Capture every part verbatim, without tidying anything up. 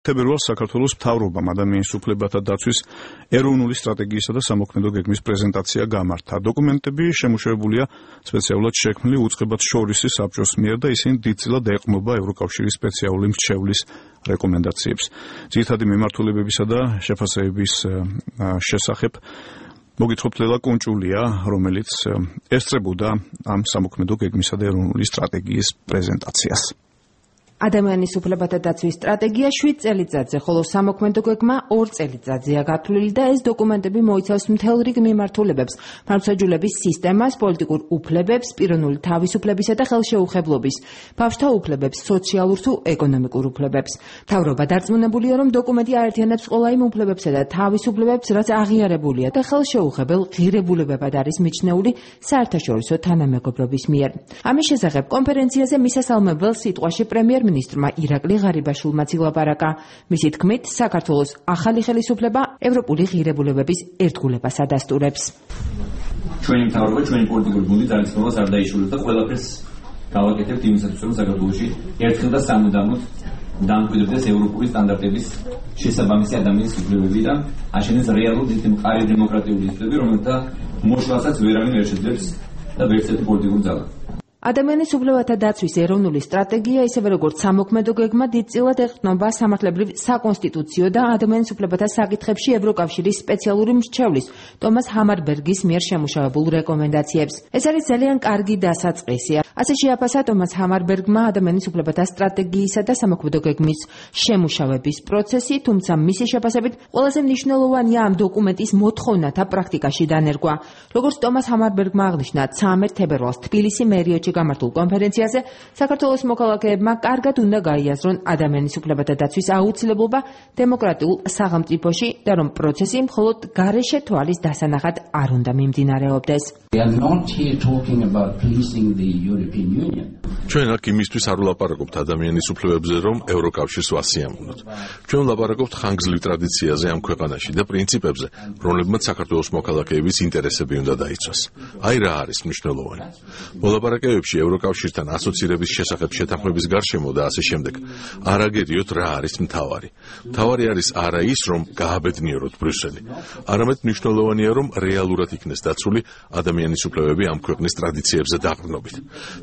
თებერვალს საქართველოს მთავრობამ ადამიანის უფლებათა დაცვის ეროვნული სტრატეგიისა და სამოქმედო გეგმის პრეზენტაცია გამართა. დოკუმენტები შემუშავებულია სპეციალურად შექმნილი უწყებად შორისი საბჭოს მიერ და ისინი დიდწილად ეყრდნობა ევროკავშირის სპეციალური მრჩევლის რეკომენდაციებს. ძირითადი მიმართულებებისა და შეფასებების შესახებ მოგითხრობთ ლელა კუნჭულია, რომელიც ესწრებოდა ამ სამოქმედო გეგმისა და ეროვნული სტრატეგიის პრეზენტაციას. ადამიანის უფლებათა დაცვის სტრატეგია შვიდ წელიწადზე, ხოლო სამოქმედო გეგმა ორ წელიწადზეა გათვლილი და ეს დოკუმენტები მოიცავს მთელ რიგ მიმართულებებს, მართლმსაჯულების სისტემას, პოლიტიკურ უფლებებს, პიროვნული თავისუფლებისა და ხელშეუხებლობის, ბავშვთა უფლებებს, სოციალურ თუ ეკონომიკურ უფლებებს. მთავრობა დარწმუნებულია, რომ დოკუმენტი აერთიანებს ყველა იმ უფლებებსა და თავისუფლებებს, რაც აღიარებულია და ხელშეუხებელ ღირებულებებად არის მიჩნეული საერთაშორისო თანამეგობრობის მიერ. ამის შესახებ კონფერენციაზე მისასალმებელ სიტყვაში პრემიერ მინისტრმა ირაკლი ღარიბაშვილმა ილაპარაკა. მისი თქმით, საქართველოს ახალი ხელისუფლება ევროპული ღირებულებების ერთგულებას ადასტურებს. ჩვენი მთავრობა, ჩვენი პოლიტიკური გუნდი ძალისხმევას არ დაიშურებს და ყველაფერს გავაკეთებთ იმისათვის, რომ საქართველოში ერთხელ და სამუდამოდ დამკვიდრდეს ევროპული სტანდარტების შესაბამისი ადამიანის უფლებები და აშენდეს რეალური მყარი დემოკრატიული ინსტიტუტები, რომელთა მოშლასაც ვერავინ ვერ შეძლებს და ვერც ერთი პოლიტიკური ძალა. ადამიანის უფლებათა დაცვის ეროვნული სტრატეგია, ისევე როგორც სამოქმედო გეგმა, დიდწილად ეყრდნობა სამართლებრივ საკონსტიტუციო და ადამიანის უფლებათა საკითხებში ევროკავშირის სპეციალური მრჩევლის ტომას ჰამარბერგის მიერ შემუშავებულ რეკომენდაციებს. ეს არის ძალიან კარგი დასაწყისი. ასე შეაფასა ტომას ჰამარბერგმა ადამიანის უფლებათა სტრატეგიისა და სამოქმედო გეგმის შემუშავების პროცესი, თუმცა მისი შეფასებით ყველაზე მნიშვნელოვანია ამ დოკუმენტის მოთხოვნათა პრაქტიკაში დანერგვა. როგორც ტომას ჰამარბერგმა აღნიშნა, ცამეტ თებერვალს თბილისი მერიოჩი გამართულ კონფერენციაზე საქართველოს მოქალაქეებმა კარგად უნდა გაიაზრონ ადამიანის უფლებათა დაცვის აუცილებლობა დემოკრატიულ სახელმწიფოში და რომ პროცესი მხოლოდ გარეშე თვალის დასანახად არ უნდა მიმდინარეობდეს. ჩვენ აქ იმისთვის არ ვლაპარაკობთ ადამიანის უფლებებზე, რომ ევროკავშირს ვასიამოვნოთ. ჩვენ ვლაპარაკობთ ხანგრძლივ ტრადიციაზე ამ ქვეყანაში და პრინციპებზე, რომლებმაც საქართველოს მოქალაქეების ინტერესები უნდა დაიცვას. აი რა არის მნიშვნელოვანი. მოლაპარაკებებში ევროკავშირთან ასოცირების შესახებ შეთანხმების გარშემო და ასე შემდეგ. არ აგერიოთ რა არის მთავარი. მთავარი არის არა ის, რომ გააბედნიეროთ ბრიუსელი. არამედ მნიშვნელოვანია, რომ რეალურად იქნეს დაცული ადამიანის უფლებები ამ ქვეყნის ტრადიციებზე დაყრდნობით.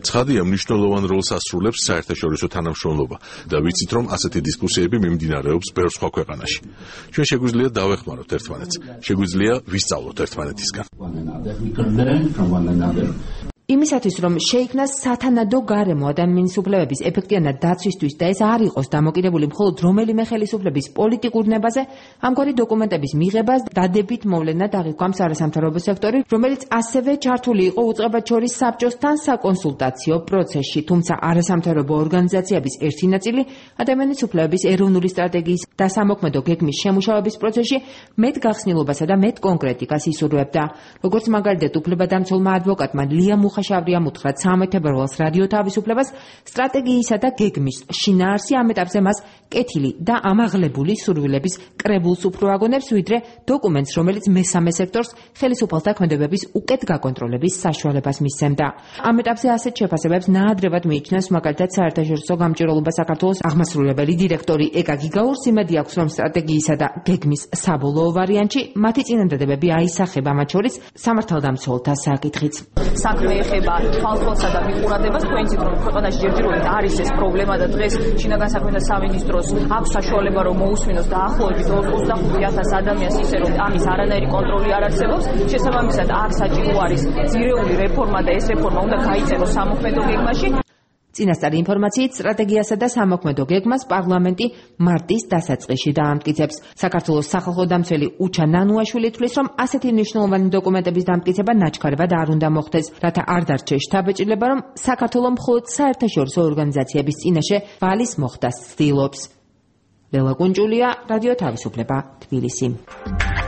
ცხადია, მნიშვნელოვან როლს ასრულებს საერთაშორისო თანამშრომლობა და ვიცით, რომ ასეთი დისკუსიები მიმდინარეობს ბევრ სხვა ქვეყანაში. ჩვენ შეგვიძლია დავეხმაროთ ერთმანეთს, შეგვიძლია ვისწავლოთ ერთმანეთისგან. იმისათვის, რომ შეიქმნას სათანადო გარემო ადამიანის უფლებების ეფექტიანად დაცვისთვის და ეს არ იყოს დამოკიდებული მხოლოდ რომელიმე ხელისუფლების პოლიტიკურ ნებაზე, ამგვარი დოკუმენტების მიღებას დადებით მოვლენად აღიქვამს არასამთავრობო სექტორი, რომელიც ასევე ჩართული იყო უწყებად შორის საბჭოსთან საკონსულტაციო პროცესში, თუმცა არასამთავრობო ორგანიზაციების ერთი ნაწილი ადამიანის უფლებების ეროვნული სტრატეგიის და სამოქმედო გეგმის შემუშავების პროცესში მეტ გახსნილობასა და მეტ კონკრეტიკას ისურვებდა. როგორც მაგალითად უფლებადამცველმა ადვოკატმა ლია ხაშავრიამ უთხრა ცამეტ თებერვალს რადიო თავისუფლებას სტრატეგიისა და გეგმის შინაარსი ამ ეტაპზე მას კეთილი და ამაღლებული სურვილების კრებულს უფრო აგონებს, ვიდრე დოკუმენტს, რომელიც მესამე სექტორს ხელისუფალთა ქმედებების უკეთ გაკონტროლების საშუალებას მისცემდა. ამ ეტაპზე ასეთ შეფასებებს ნაადრევად მიიჩნევს მაგალითად საერთაშორისო გამჭირვალობა საქართველოს აღმასრულებელი დირექტორი ეკა გიგაურს. იმედი აქვს, რომ სტრატეგიისა და გეგმის საბოლოო ვარიანტში მათი წინადადებები აისახება, მათ შორის სამართალდამცველთა საკითხიც. საქმე ეხება ხალხოსა და მიყურადებას, თქვენ იცით, რომ ქვეყანაში ჯერჯერობით არის ეს პრობლემა და დღეს შინაგან საქმეთა სამინისტროს აქვს საშუალება, რომ მოусმინოს დაახლოებით ოცდახუთი ათასი ადამიანს ისე, რომ ამის არანაირი კონტროლი არ არსებობს. შესაბამისად, აქ საჭირო არის ძირეული რეფორმა და ეს რეფორმა უნდა გაიწეროს სამოქმედო გეგმაში. წინასწარი ინფორმაციით სტრატეგიასა და სამოქმედო გეგმას პარლამენტი მარტის დასაწყისში დაამტკიცებს. საქართველოს სახალხო დამცველი უჩა ნანუაშვილი თვლის, რომ ასეთი მნიშვნელოვანი დოკუმენტების დამტკიცება ნაჩქარებად არ უნდა მოხდეს, რათა არ დარჩეს შთაბეჭდილება, რომ საქართველო მხოლოდ საერთაშორისო ორგანიზაციების წინაშე ვალის მოხდას ცდილობს. ლელა კუნჭულია, რადიო თავისუფლება, თბილისი.